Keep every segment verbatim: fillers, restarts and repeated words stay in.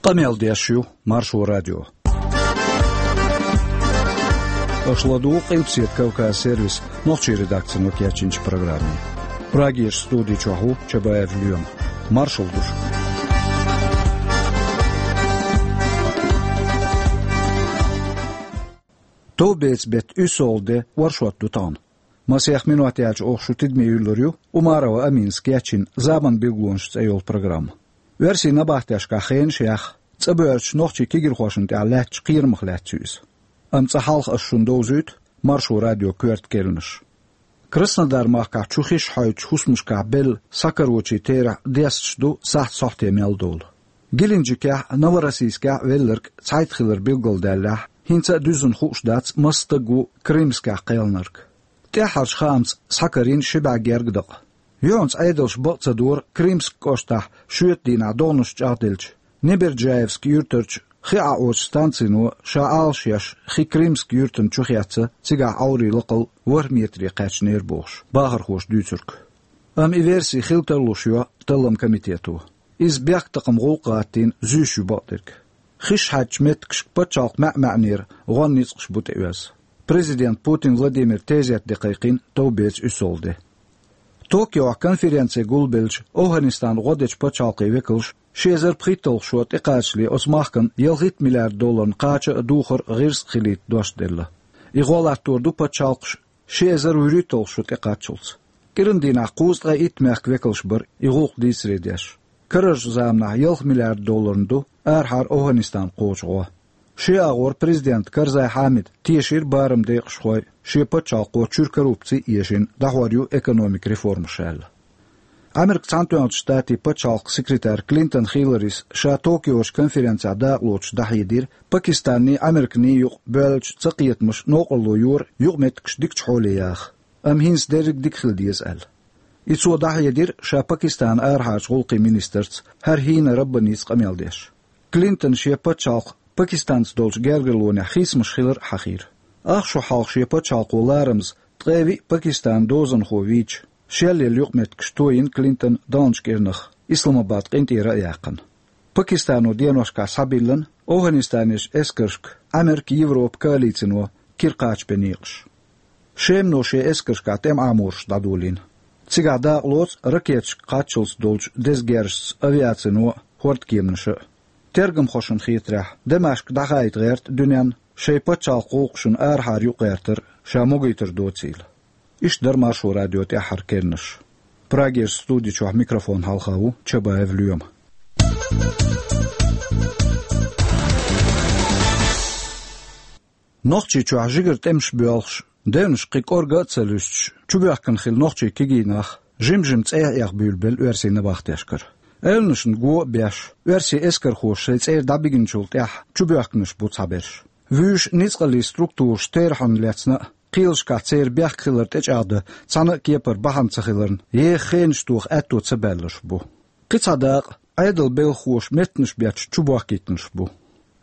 Къамел деш ю Маршо радио. Аша ладугӀу Къилбаседа Кавказ сервисан нохчийн редакцино кечйинчу программе. Прагерчу студи чохь ву Чабаев Лоьма. Маршалла ду шуьга. Товбеца-беттан уьссалгӀа де, оршот ду тахана. Масех минот яьлча оха шу тидаме юьллур ю Умарова Аминас кечйина «Заман билгалонаш» цӀе йолу программа. Оьрсийн набахтешкахь хенаш а яьхна, цӀа боьрзучу нохчийн кегийрхошна тӀехь лаьттачу кхерамах лаьцна ю иза. Амма цкъа хьалха аса шуна довзуьйту Маршо радион коьрта керланаш. Краснодар-махкахь чу хиш хьойтучу хӀусамашкахь белла схьакарочийн терахь десташ ду сахьт сохьте мел долу. Геленджикехь а, Новороссийскехь а велларг цхьайтта хилар билгалдаьллехь, хӀинца а дуьззина хууш дац, маса стаг ву Крымскехь кхелхинарг. ТӀаьххьарчу хаамца схьакарийна ши бӀе гергга дакъа. Юьхьанца Ӏедалша бакъ ца дора Крымск кӀоштахь шоьтан дийнахь догӀанаш чӀагӀделча, Неберджаевск юьртарчу хи Ӏаочу станцино ша Ӏалашъеш хи Крымск юьртана чу хецна, цигахь Ӏоврийн лакхал ворхӀ метре кхаьчнера бохуш, бахархоша дуьйцург. Амма и верси хила тарлуш йо талламан комитето. Иза бехктакхаман гӀуллакх гӀаттийна зуьйш ю бакъдерг. Хиш хьаьддачу меттигашка пачхьалкхан маьӀ-маьӀӀера гӀоьнна ницкъаш бу тӀеоьзна. Президент Путин Владимира тезет де кхайкхийна товбеца уьссалгӀа де. Токиохь конференци гулбеллачу ОвхӀанистанан гӀо дечу пачхьалкхийн векалша ши эзар пхийтталгӀа шо тӀекхачале оцу махкана ялхитта миллиард долларна кхача а, духар а гӀирс а хилийта дош делла. И гӀо латтор ду пачхьалкхаша ши эзар вуьрхӀитталгӀа шо тӀекхаччалц. КӀиран дийнахь кхузткъе итт мехкан векалш бара и гӀуллакх дийцаре деш. Карарчу заманахь ялх миллиард долларна ду арахьара ОвхӀанистана кхочу гӀо. Шен агӀор президента Карзай Хьамида тешира барамдекъашхой, шен пачхьалкхо чуьра коррупци а эшина, дӀахьор ю экономикан реформаш аьлла. Америкин Цхьаьнатоьхначу Штатийн пачхьалкхан секретарь Клинтон Хилларис ша Токиочу конференцехь дакъалоцуш дӀахьедира, Пакистанний, Американий юкъа боьллачу цакхетамаша новкъарло йора юкъаметтигаш дикачу хьоле яха, амма хӀинца дерриг дика хила деза аьлла. И цо дӀахьедира ша Пакистанан арахьарчу гӀуллакхийн министрца ХӀара ХӀийна Раббаница къамел деш. Клинтона шен пачхьалкх Пакистанца долчу гергарлонехь хийцамаш хилар а хьахийра. Ах шо хьалха шен пачхьалкхо ларамаза ткъе виъ Пакистанан дозанхо вийча, шелъелла юкъаметтигаш тойина Клинтона далначу кӀирнах, Исламабад къинтӀера а яьккхина. Пакистано деношкахь схьабиллина ОвхӀанистанерчу эскаршка Америка, Европа коалицино кира кхачабен некъаш. Шемано шен эскаршкахь тӀеман Ӏамораш дӀадолийна. Цигахь дакъалоцу ракеташка кхаччалц долчу деза герзашца авиацино а, хӀордкеманаша а. Тергамхошна хетарехь, Дамашк дӀахаийта гӀерта дуьненна шайн пачхьалкхан гӀуллакхашна арахьара юкъагӀертар ша могуьйтур доцийла. Иштта дара Маршо радион тӀаьххьара керланаш. Прагерчу студи чохь микрофон хьалха ву Чабаев Лоьма. Нохчийчохь жигара тӀемаш боьлхуш, девнашка кхин кӀорга а ца луьстуш, чубоьхкина хилла нохчийн кегий нах жим-жима цӀехьа эха буьйлабелла оьрсийн набахтешкара. Эвланашна го а беш, оьрсийн эскархоша шайн цӀера дӀабигначул тӀаьхьа чубоьхкинарш бу цхьаберш. Вуьйш ницкъаллин структураш терахьна лецна а, кхелашкахь церан бехк хилар тӀечӀагӀдан цхьана а кепара бахьана ца хиларна, еха хенаш тоха аьтто ца баьлларш бу. Кхин цхьа дакъа, Ӏедалан белхахоша меттанаш бетташ чубохкийтинарш бу.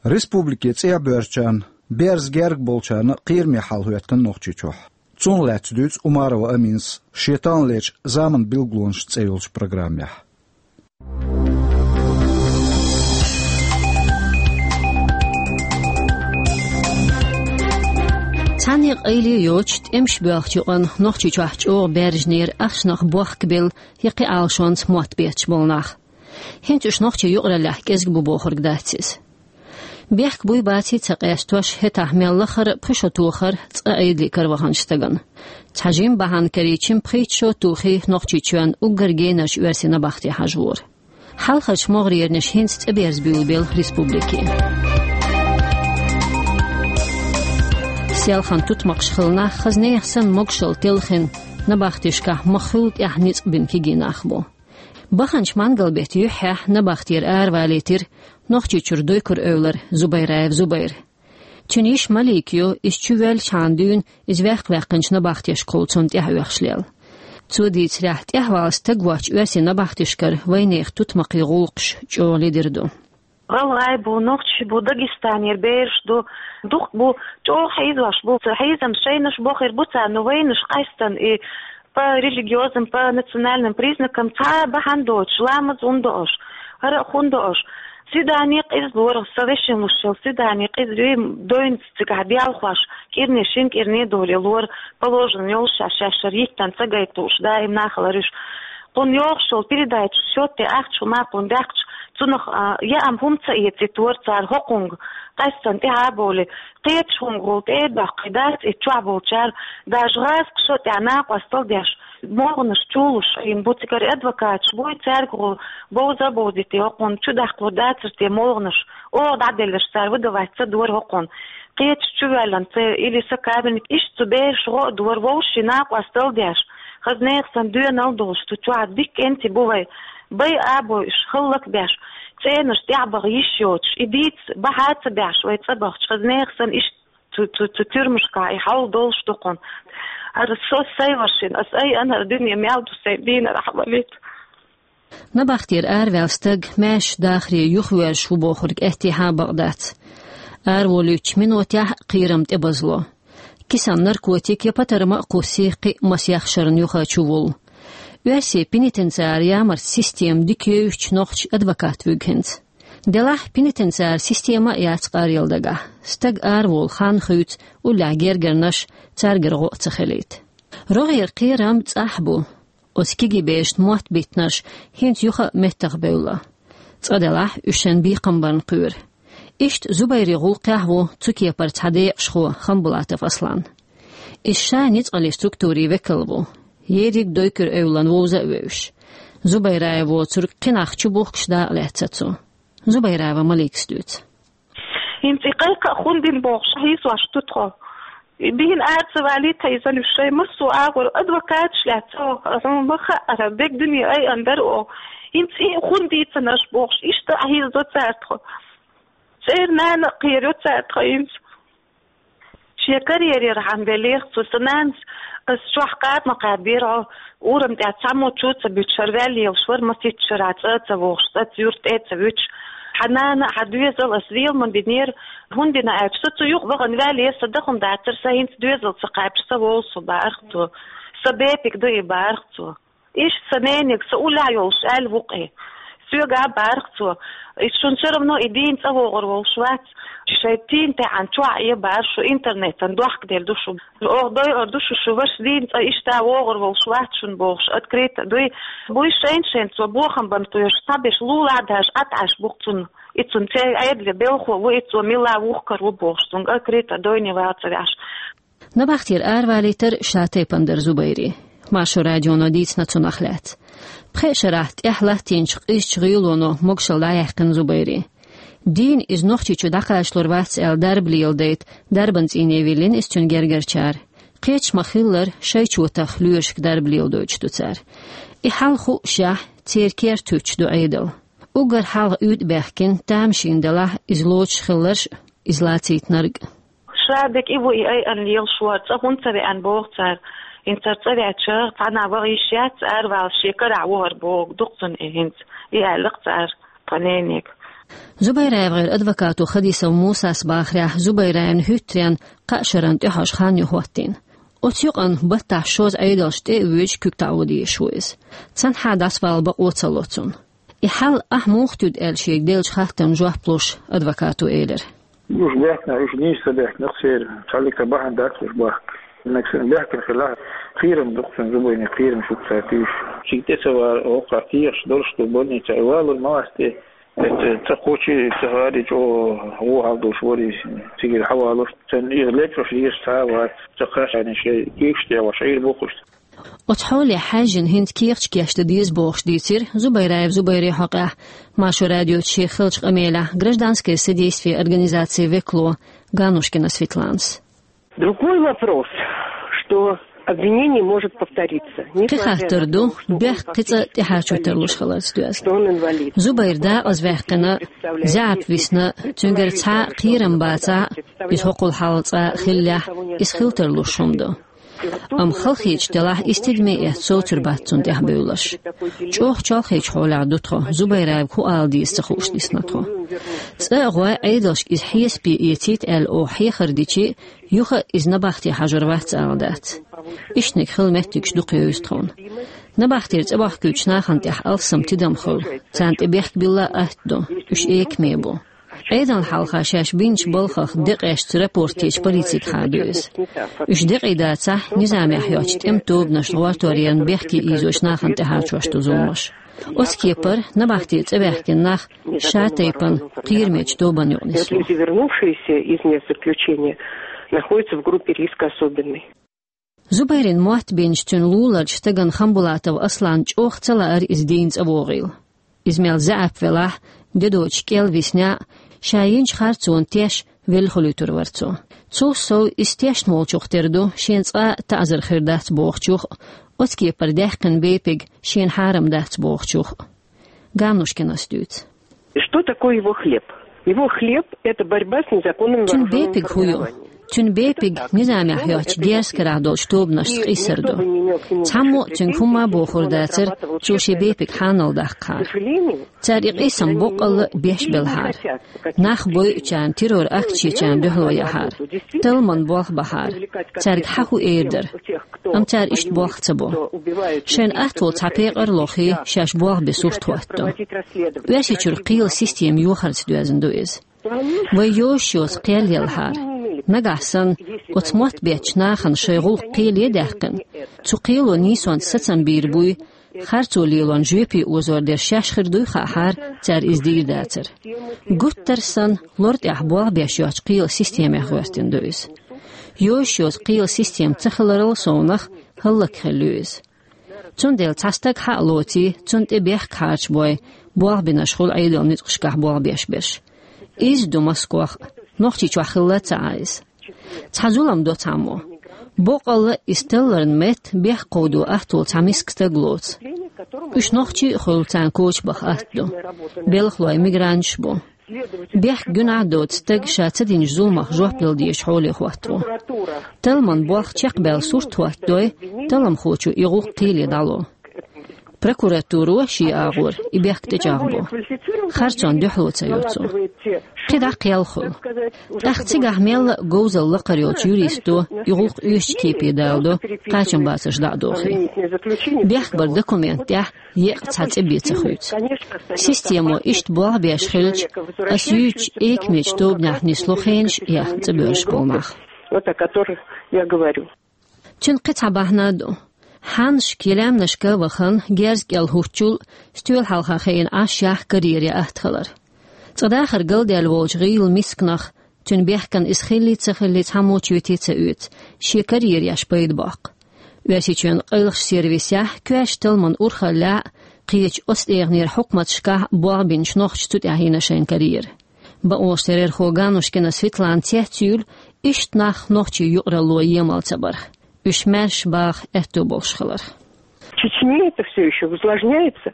Республике цӀехьабоьрзучарна, берза герга болчарна а кхераме хьал хӀоьттина Нохчийчохь. Цунах лаьцна дуьйцу Умарова Аминас шен таханлерчу «Заман билгалонаш» цӀе йолчу программехь. Цхьанне къайле а йоцуш, тӀемаш боьлхучу юкъанна Нохчийчохь чӀогӀа баьржинера ахчанах бохкабелла я кхин Ӏалашонца мотт бетташ болу нах. ХӀинца уьш нохчийн юкъараллехь кӀезиг бу бохург дац иза. Бехк буй-баций ца къестош, хӀетахь мел лахара а пхи шо тохара цкъа Ӏедале караваханчу стагана. Цхьа жима бахьана карийча, пхийтта шо а тухий, Нохчийчоьнна уггар генарчу оьрсийн набахте хьажавора. Хьалхарчу могӀарернаш хӀинца цӀа берза буьйлабелла республике. Селхана тутмакхаш хилла нах, хаза нехан санна, могушалла телхина, набахтешкахь ма-хуьллу тӀехь ницкъ бина кегий нах бу. Баханчу мангал-беттан юьххьехь набахтера аравалийтира Нохчийчуьра дуй-кура эвлара Зубайраев Зубайр. Цуьнан йиша Малика ю, иза чувоьллачхьана дуьйна иза ваьккхина ваьккхинчу набахтешкахула цунна тӀаьхьа оьхуш лелла. Цо дийцарехь, тӀаьхьавала стаг воцчу оьрсийн набахтешкара вайнехан тутмакхийн гӀуллакхаш чӀогӀа ледара ду. ГӀалгӀай бу, нохчий бу, Дагестанера бераш ду, дукха бу, чӀогӀа хьийзош бу, ца хьийзам шайнаш бохур бу царна, но вайнаш къаьстина и по религиозным, по национальным признакам цхьа а бахьана доцуш, ламаз хӀунда до аша, хӀара а хӀунда до аша. Свидание къиза лора, со вешин лушел, свидание къиза ве дойнц цигахь белхош, кӀирни шин кӀирни доли лора, положено йолуш шаьш шаьшшара йиттан ца гайтуш, даим нахалар уьш. Кхунна йохуш йолу передача счёт тӀе ахча хӀума кхунна даьккхича, цунах, а, яам хӀума ца эцийта вара цара хӀокхунга, къаьстина тӀаьхьа а бовлий, кхечу хӀуманга гӀолла тӀе а доккхий дац, и чохь болчара, даже гӀазкхаша тӀехь накъостал деш, могӀанаш чулуш Ӏийна бу цигара адвокаташ буй, цаьрга гӀолла бовза а бовзийта, хӀокхунна чу даккхалур дацара те могӀанаш, оха дӀаделларш цара выдавать ца дора хӀокхунна. Кхечу чу ваьллина ца или са кабинет, иштта цу бераш гӀо а дора, вовшийн накъостал деш, хаза нехан санна доьналла долуш, цу чохь дикка кӀентий бу вай, бай а бойуш, хӀаллак а беш, цӀенаш тӀаьхьа баха йиш йоцуш, и дийца бахьа а ца беш, вай цӀа бахча, хаза нехан санна иштта цу, цу, цу тюрьмашкахь и хьал долуш ду кхунна. ХӀара со сай вашина, ас айана хӀара дуьне мел ду сайн дийнарахь валийта. Набахтера араваьлла стаг маьрша дахаре юхавоьрзуш ву бохург аьттехьа а бакъ дац. Араволуьйтучу минотехь а кхерам тӀебазло. Кисана наркотик я патарма а кхуссий, кхин а масех шарна юха чувуллу. Оьрсийн пенитенциар ямарта система дика евзачу нохча адвокат вуьгу хӀинца. Делахь пенитенциар система а яц къаръяла дагахь. Стаг араволу хан хуьйцу уллехь гергарнаш, цаьргара гӀо а ца хилийта. РогӀера кхерам цӀахь бу. Оцу кегийбершна мотт биттинарш хӀинца юха а меттах бевлла. Цкъа делахь, уьш шайн бекхам барна кхоьру. Иштта Зубайри гӀуллакхехь ву цу кепара цхьа декъашхо Хамбулатов Аслан. Иза ша ницкъаллин структурийн векал ву. Ерриг дойкур эвлан вовза а вевзаш. Зубайраев воцург кхин нах чу бухкуш дакъа лаьцна цо. Зубайраева Маликас дуьйцу. ХӀинца и кхайкха а хӀунда дина бохуш, хьийсош ду тхо. И дийна ара ца валийта иза уьш шайн массо а агӀор адвокаташ лаьцна, хьуна ма хаьара, дерг дуьне айана дара оха. ХӀинца и хӀунда дийцина аша бохуш, иштта а хьийзадо цара тхо. ЦӀера нана а кхерайо цара тхо хӀинца. Шен карьерера хьан веллера цо, сан нанас, ас чохь кхаба ма кхаьбира хьо, урам тӀехь цхьаммо чу а ца буьтуш, хӀара ваьлла лелаш вара, масийтта шарахь цӀа а ца вогӀуш, цӀа цуьра тӀе а ца вуьтуш. Хьан нана, хьан доьзал ас лела ма бинера, хӀунда дина аьлча, со цу юкъа вахана ваьлла, сан дахана дацара, сан хӀинца доьзал ца кхаьбча, сан волу со, баьхира цо. Сан бепиг ду и, баьхира цо. Иштта сан ненега, сан уллехь йолуш аьлла ву-кх и. Соьга а баьхира цо. И шуна всё равно и дийна цӀа вогӀур волуш вац. Шайн тӀийна таьӀна чохь а баьхира шу, интернетан дохкаделла ду шу. Оха дойур ду шу, шу ваша дийна цӀа иштта вогӀур волуш вац шуна бохуш, открыто дуй. Буй шайн-шайн цо бохам бан кхоьруш, цхьаберш лулахь а даьхьаш, Ӏад Ӏаш бу-кх цунна. И цунна церан Ӏедале белхо ву, и цо мила вухкар ву бохуш, цунга открыто дойне вала ца ваьхьаш. Набахтера аравалийтар ша тайпана дара Зубайрин. Маршо радионо дийцина цунах лаьцна. Пхеа шарахь тӀехь латтийначу къизачу гӀийлоно могушалла дӀаяьккхина Зубайрин. Дийна иза Нохчийчу дӀакхачалур вац аьлла дарба леладайта, дарбан цӀийне виллина иза цуьнан гергарчара. Кхечу ма-хиллара, шайчу ватах лоьрашка дарба леладойтуш ду цара. И хьал хуушехь, церан керта хӀуьттуш ду Ӏедал. Уггар хьалха уьйтӀа баьхкина, тамашийна делахь, иза лоцуш хилларш а, иза лацийтинарг а. Ша дика и ву и айъан лелаш вара, цӀа хӀунда ца веана боху цара. ХӀинца цӀа веача, цхьанна ваха йиш яц, аравала шен карахь ву хӀара боху, ду-кх цунна и хӀинца. И аьлла-кх цара тхан ненега. ЗубайраевгӀеран адвокато Хадисов Мусас бахарехь, Зубайраевна хӀуьттаренна кхаа шарна тӀехьожу хан ю хӀоттийна. Оцу юкъанна баттахь шозза Ӏедалш тӀе а воьдуш куьг таӀо дезаш ву иза. Цхьанхьа дӀасавала бакъо ца ло цунна. И хьал ахь муха туьду аьлла шега деллачу хаттарна жоп луш, адвокато элира. Уьш бехкна, уьш нийса ца бехкна, церан цхьаллиг ца бахьана дац уьш бахка. Нагахь санна бехкна хилахь, кхерам ду-кх цунна, Зубайрин кхерам шу-кх цара туьйсуш. Цига тӀе ца вала, хӀокху тӀехьаш долуш ду больница, и валур ма вац те. Эта ца кхочий, ца гӀари чӀогӀа вон хьал долуш вари, цигара хьавалуш, царна иза лечкъош езаш цхьа а вац, ца кхаччалц шайн куьйгаш тӀе гӀош Ӏийр бу-кх уьш. Оцу хьоле хьаьжжина хӀинца кехаташ кечдан деза бохуш дийцира Зубайраев Зубайрин хьокъехь Маршо радиоца шен хиллачу къамелехь гражданское содействие организацин векало Ганушкина Светланас. Другой вопрос, что обвинение может повториться. Кхин хаттар ду, бехк кхин цкъа тӀехьа чу тарлуш хиларца доьзна. Зубайр декъаза ваьккхина, заьӀап висна, цуьнгара цхьа а кхерам бацахь а, иза хӀокхул хьалха цкъа а хиллехь, иза хила тарлуш хӀума ду. Амма халахеташ делахь, иза тидаме а эцна совцур бац цунна тӀехь бевлларш. ЧӀогӀа чолхечу хьолехь ду тхо, Зубайраевга хӀун ала деза ца хууш дисна тхо. ЦӀа а гӀой, Ӏедалшка иза хьесапе эцийта аьлла оха хьехар дичи, юха а иза набахте хьажур вац ала дац. Иштаниг хила меттигаш дукха евза тхуна. Набахтера цӀабахкуьйтуш нахана тӀехь алсам тидам хуьлу, царна тӀе бехк билла а атта ду, уьш экаме бу. Ӏедална хьалха шаьш бинчу балхах декъашца рапорт течу полицига хьаду иза. Уьш декъий дацахь, низамехь йоцчу тӀеман тобанашна гӀортор ярна бехке ийзочу нахана тӀе хьарчош ду зуламаш. Оцу кепара набахтера цӀа ваьхкина нах ша тайпана кхерамечу тобанна юкъа нисло. Люди, вернувшиеся из мест заключения, находятся в группе риска особенной. Зубайрин мотт бинчу цуьнан луларчу стагана Хамбулатов Асланна чӀогӀа ца лаьара иза дийна цӀа вогӀийла. Иза мел заьӀап велахь а, де доцуш кӀел висна а, ша йинчу харцонна теш велла хуьлуьйтур вара цо. Цул сов, иза тешна волчух тера ду шена цкъа а таӀзар хир дац бохучух а, оцу кепара даьккхина бепиг шена хьарам дац бохучух а. Ганнушкинас дуьйцу. Что такое его хлеб? Его хлеб — это борьба с незаконными вооружёнными формированиями. Цуьнан бепиг хӀун ю? Цуьнан бепиг низамехь йоцчу герз карахь долчу тобанашца къийсар ду. Цхьаммо а цуьнга хӀумма а бохур дацара, цо шен бепиг хьанал даккхахьара. Цара и къийсам боккъалла а беш белхьара. Нах бойъучарна, террор акцешчарна дуьхьало яхьара. Талламан болх бахьара. Цаьрга хьан хӀун эр дара? Амма цара иштта болх ца бо. Шайна атта волу цхьа пекъар а лохий, шаьш болх бен сурт хӀоттадо. Оьрсийчуьра кхелан система йохарца доьзна ду иза. Вай йозуш йоцу кхел елхьара. Нагахь санна, оцу мотт беттачу нахана шайн гӀуллакх кхеле а даьккхина, цу кхело нийсонца сацам бийр буй, харцо лелорна жоьпе озор дерш шаьш хир дуй хаахьара, цара иза дийр дацара. Гуттар а санна, лор тӀехь болх беш йоцчу кхелан системех гӀоьртина ду иза. Йозуш йоцу кхелан система ца хиларал совнах хӀаллакьхилла ю иза. Цундела цхьа стаг хьа а лоций, цунна тӀе бехк хьарчабой, болх бинарш хуьлу Ӏедалан ницкъашкахь болх беш берш. Изза ду Москох а, Нохчийчохь хилла ца Ӏа иза. Цхьа зулам до цхьаммо. Боккъалла а иза талларна метта бехк кховдо атта волу цхьа миска стаг лоцу. Уьш нохчий а хуьлу, царна коча баха атта ду. Белхалой мигранташ бу. Бехк гуьнахь а доцу стаг ша ца динчу зуламах жоп дала дезачу хьоле хӀотто. Талламан болх чекхбаьлла сурт хӀоттадой, талламхочо и гӀуллакх кхеле дӀало. Прокуратуро шен агӀор и бехк тӀечӀагӀбо. Харцонна дуьхьало ца йо цо. КхидӀа кхел хуьлу. ТӀаккха цигахь мелла а говзалла лакхара йолчу юристо и гӀуллакх оьшучу кепе даладо, кхачамбацарш дӀа а дохий. Бехк баран документ тӀехь еккъа цхьа цӀе бен ца хуьйцу. Системо иштта болх беш хилча, ас юьйцучу экамечу тобанехь нисло хенаш а яьхна цӀа боьрзуш болу нах. Вот о которых я говорю. Цуьнан кхин цхьа бахьана а ду. Хьаннашка я лаьмнашка а вахана, герз кӀел хӀуттучул, стоьла хьалха хиъна Ӏаш яхь карьера ян атта хилар. Цкъа дахар галдаьлла волчу гӀийла мисканах, цуьнан бехкана иза хиллий ца хиллий цхьаммо чоьте ца оьцу, шен карьера еш пайда боккху. Оьрсийчоьнан къайлахчу сервисехь коьртачу талламан урхаллехь а, кхечу оцу тӀегӀанера хьукматашкахь а болх бинчу нохчаша цу тӀехь йина шайн карьера. Бакъонаш террорхо Ганнушкина Светлана цецйуьйлу, иштта нах нохчийн юкъаралло емал ца барх, уьш маьрша баха аьтто болуш хиларх. В Чечне это всё ещё усложняется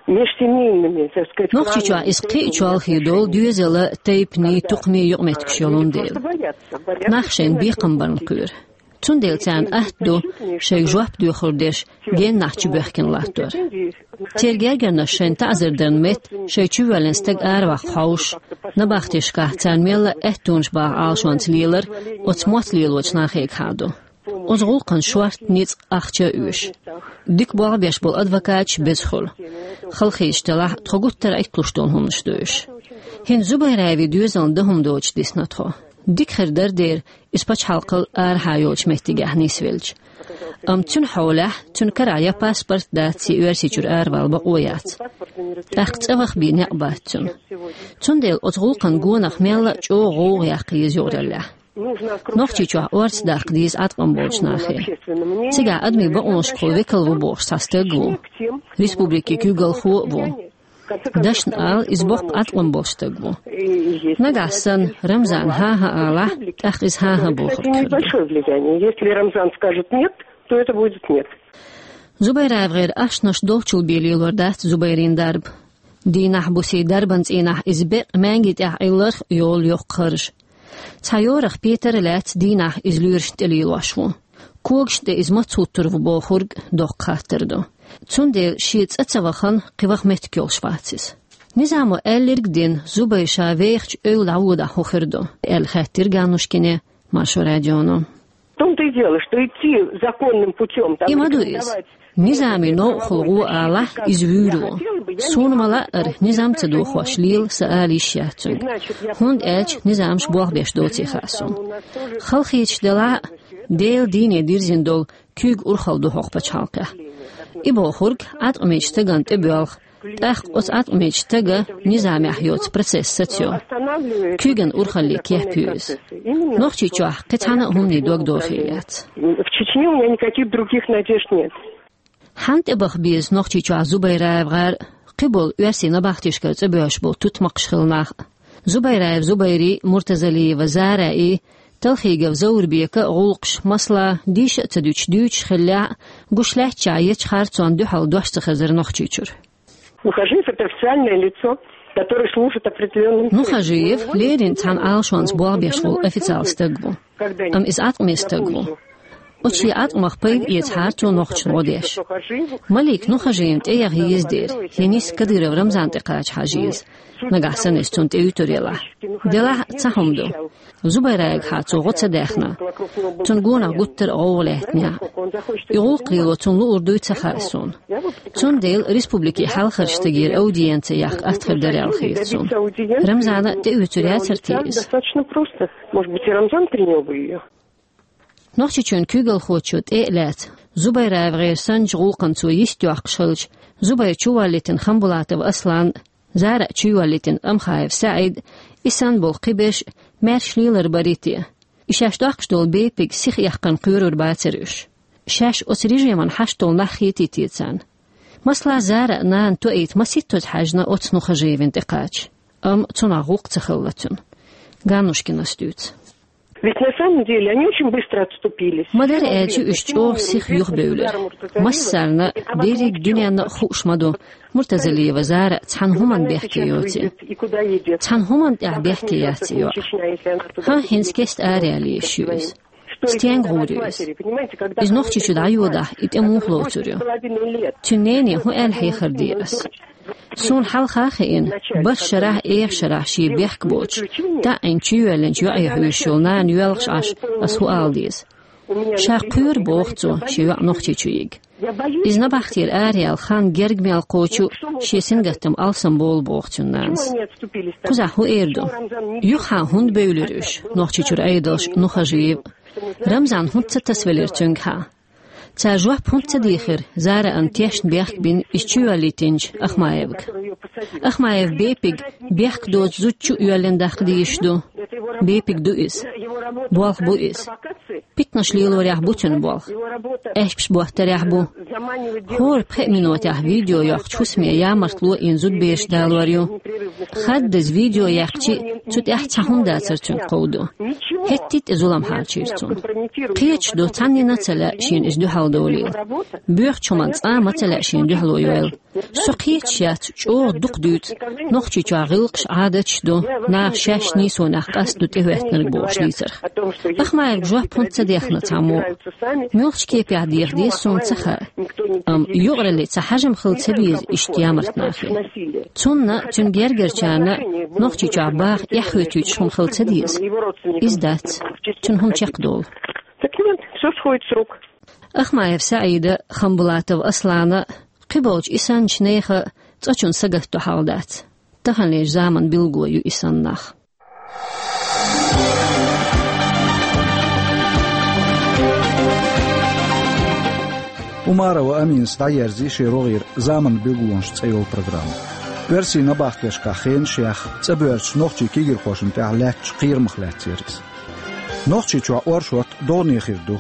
межсемейными, так сказать, клановыми. Нохчийчохь иза кхин а чолхе долу доьзала, тайпанийн, тукхамийн юкъаметтигаш йолун дела. Нах шайна бекхам барна кхоьру. Цундела царна атта ду шайга жоп доьхур дерш геннахь чубоьхкина латтор. Церан гергарнаш шайна таӀзар дарна метта шайн чувоьллина стаг араваккха хьовсуш, набахтешкахь царна мелла а аьттонаш баха Ӏалашонца лелар оцу мотт лелочу нахе хьаду. Оцу гӀуллакхана шорта ницкъ, ахча а оьшу. Дика болх беш болу адвокаташ беза хуьлу. Халахеташ делахь а, тхо гуттар а Ӏитталуш долу хӀуманаш ду уьш. ХӀинца Зубайраевн доьзална дан хӀума доцуш дисна тхо. Дика хир дара дера, иза пачхьалкхал арахьа йолчу меттигехь нисвелча. Амма цуьнан хьолехь, цуьнан карахь я паспорт дац, я Оьрсийчуьра аравала бакъо яц. ТӀаккха цӀа ваха бен некъ бац цуьнан. Цундела оцу гӀуллакхана гонах мелла а чӀогӀа гӀовгӀа яккха еза юкъараллехь. Нохчийчохь орца даккха деза Ӏаткъам болчу нахе. Цигахь адамийн бакъонашкахула векал ву бохуш цхьа стаг а ву. Республикин куьйгалхо а ву. Дашна ала, иза боккха Ӏаткъам болуш стаг ву. Нагахь санна Рамзана хӀан-хӀа алахь, тӀаккха иза хӀан-хӀа бохург хир ду. Небольшое влияние. Если Рамзан скажет «нет», то это будет «нет». Зубайраевгара ашнаш долчул бен лелор дац Зубайрин дарба. Дийнахь-буса дарбан цӀийнахь иза бекъ маьнги тӀехь Ӏилларх йолу йоккха харж. Цхьа йорах петар а лаьцна дийнахь иза лоьрашна тӀе лелош ву. Когашна тӀе иза маца хӀуттур ву бохург доккха хаттар ду. Цундела шен цӀа ца вахана, кхин ваха меттиг йолуш вац иза. Низамо аьлларг а дина, Зубайр ша вехачу эвла дӀаводахь хӀун хир ду, аьлла хаьттира Ганнушкине Маршо радионо. В том-то и дело, что идти законным путём, там, и ма ду иза. Низами новкъахула гӀо алахь, иза вуьйр ву. Суна ма-лаъара, низам ца дохош лела сан ала йиш яц цуьнга. ХӀунда аьлча низамаш болх беш доций хаьа суна. Халахеташ делахь а, Делан дийне дирзина долу куьйга урхалла ду хӀокху пачхьалкхехь. И бохург Ӏаткъамечу стагана тӀебоьлху, тӀаккха оцу Ӏаткъамечу стага низамехь йоцу процесс сацайо. Куьйган урхалле кеп ю иза. Нохчийчохь кхин цхьана а хӀуманийн дог дохийла яц. В Чечне у меня никаких других надежд нет. Хьанна тӀебаха беза Нохчийчохь Зубайраев ГӀар а, кхиболу оьрсийн набахтешкара цӀа боьрзуш болу тутмакхаш хилла нах а? Зубайраев Зубайрий, Муртазалиева Зараий, Талхигов Заурбека а гӀуллакхаш, масала, дийша а ца дуьтуш, дуьйцуш хиллехь а, гуш лаьттачохь ечу харцонна дуьхьал дош ца хезара Нохчийчуьра. Нухажиев — это официальное лицо, которое служит определённым целям. Нухажиев леррина цхьана Ӏалашонца болх беш волу официал стаг ву. Амма иза Ӏаткъаме стаг ву. Оцу шен Ӏаткъамах пайда эцахьара цо нохчашна гӀо деш. Малик Нухажиевна тӀеяха еза дера, я нийса Кадыров Рамзанна тӀекхача хьажа еза, нагахь санна иза цунна тӀеуьйтур елахь. Делахь а цхьа хӀума ду. Зубайраевгахьа цо гӀо ца даьхна, цунна гонах гуттар а гӀовгӀа лаьттинехь, и гӀуллакх лело цунна луур дуй ца хаьа суна. Цундела республикин хьалхарчу стагера аудиенци яккха атта хир дара аьлла хета суна. Рамзана тӀеоьцур яцара те иза? Достаточно просто. Может быть, и Рамзан принял бы её. Нохчийчоьнан куьйгалхочо тӀе а лаьцна, Зубайраев ГӀар санначу гӀуллакхна цо йист йоккхуш хилча, Зубайр чуволлийтина Хамбулатов Аслан, Зара чуйоллийтина Амхаев СаӀид, и санна болу кхиберш маьрша лелар барий те? И шаьш доккхуш долу бепиг сиха эккхарна кхоьрур бацара уьш? Шаьш оцу режиман хьашт долу нах хетий те царна? Масала, Зара а, нана тоийта масийттаза хьаьжна оцу Нухажиевна тӀекхача. Амма цунах гӀуллакх ца хилла цуьнан. Ганнушкинас дуьйцу. Ведь на самом деле они очень быстро отступились. Ма-дарра аьлча, уьш чӀогӀа сиха юхабевлира. Массарна, дерриг дуьненна а хууш ма ду, Муртазалиева Зара цхьана хӀуманна бехке йоций. Цхьана хӀуманна тӀехь бехке яц и йоӀ. ХӀан, хӀинца кеста араяла езаш ю иза. Стенга гӀур ю иза? Иза Нохчийчу дӀайодахь, и тӀе муха лоцур ю? Цуьнан нене хӀун аьлла хьехар де ас? Суна хьалха а хиъна, бархӀ шарахь а, эха шарахь шен бехк боцуш, таӀийна чуйоьллинчу йоӀе хьоьжуш йолу нана йоьлхуш Ӏаш, ас хӀун ала деза? Ша кхоьру, боху цо, шен йоӀ Нохчийчу йига. Иза набахтера араяла хан герга мел кхочу, шен сингаттам алсамбовлу, боху цуьнан нанас. Кхузахь хӀун эр ду? Юххехь хӀунда бевлира уьш, Нохчийчуьра Ӏедалш, Нухажиев? Рамзан хӀунда ца тасавелира цуьнгахьа? Цара жоп хӀунда ца дийхира Зараан тешна бехк бина иза чуйоллийтинчу Ахмаевга? Ахмаев бепиг бехк доцу зудчу а йоьллина даккха дезаш ду? Бепиг ду иза. Болх бу иза. Питанаш лелорехь бу цуьнан болх. Аьшпаш боттарехь бу. ХӀора пхеа минотехь видео йоккхучу хӀусаме ямартло йина зудабераш далор ю. Хаддаза видео яьккхича а, цу тӀехь цхьа хӀума дацар цуьнга кховдо. ХӀетте а тӀе зулам хьарчийра цунна. Кхеташ ду, цхьаннена а ца лаьа шена иза дуьхьал довлийла. Боьхачу хӀуманна цкъа а ма ца лаьа шена дуьхьало йойла. Со кхеташ яц, чӀогӀа дукха дуьйцу Нохчийчохь гӀиллакхаш, Ӏадаташ ду, наха шаьш нийсонех къастаду тӀехӀоьттинарг бохуш дийцарх. Ахмаевга жоп хӀунда ца дехна цхьаммо? Муьлхачу кепехь деха деза, суна ца хаьа. Амма юкъаралле цхьа хьажам хила ца деза иштта ямарт нахе. Цунна, цуьнан гергарчарна Нохчийчохь баха эхь хӀоьттуьйтуш хӀума хила ца деза? Иза дац. Цуьнан хӀума чекхдолу. Так вот, всё сходит с рук. Ахмаев СаӀида, Хамбулатов Аслана, кхиболчу и санначу нехан цкъачунна сагатдо хьал дац. Таханлерчу заманан билгало ю и санна нах. Умарова Аминас дӀаерзий шен рогӀера «Заманан билгалонаш» цӀе йолу программа. Оьрсийн набахтешкахь хенаш яьхна, цӀа боьрзучу нохчийн кегийрхошна тӀехь лаьттачу кхерамах лаьцна яра иза. Нохчийчохь оршот догӀане хир ду.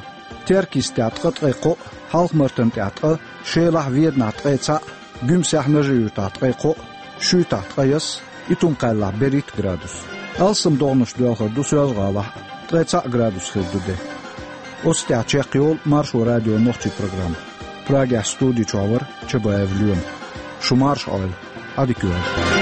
Теркйистехь ткъа ткъе кхоъ, Хьалха-Мартан тӀехь ткъа, Шелахь, Веданахь ткъе цхьаъ, Гуьмсехь, Нажи-Юьртахь ткъе кхоъ, Шуьйтахь ткъе ялх, Итум-Кхаьллахь берхӀитта градус. Алсам догӀанаш доьлхур ду Соьлжа-ГӀалахь а, ткъе цхьаъ градус хир ду де. Оцу тӀехь чекхйолу Маршо радион нохчийн программа. Прагехь студи чохь вара Чабаев Лоьма. Шу марша Ӏойла, Ӏадика йойла.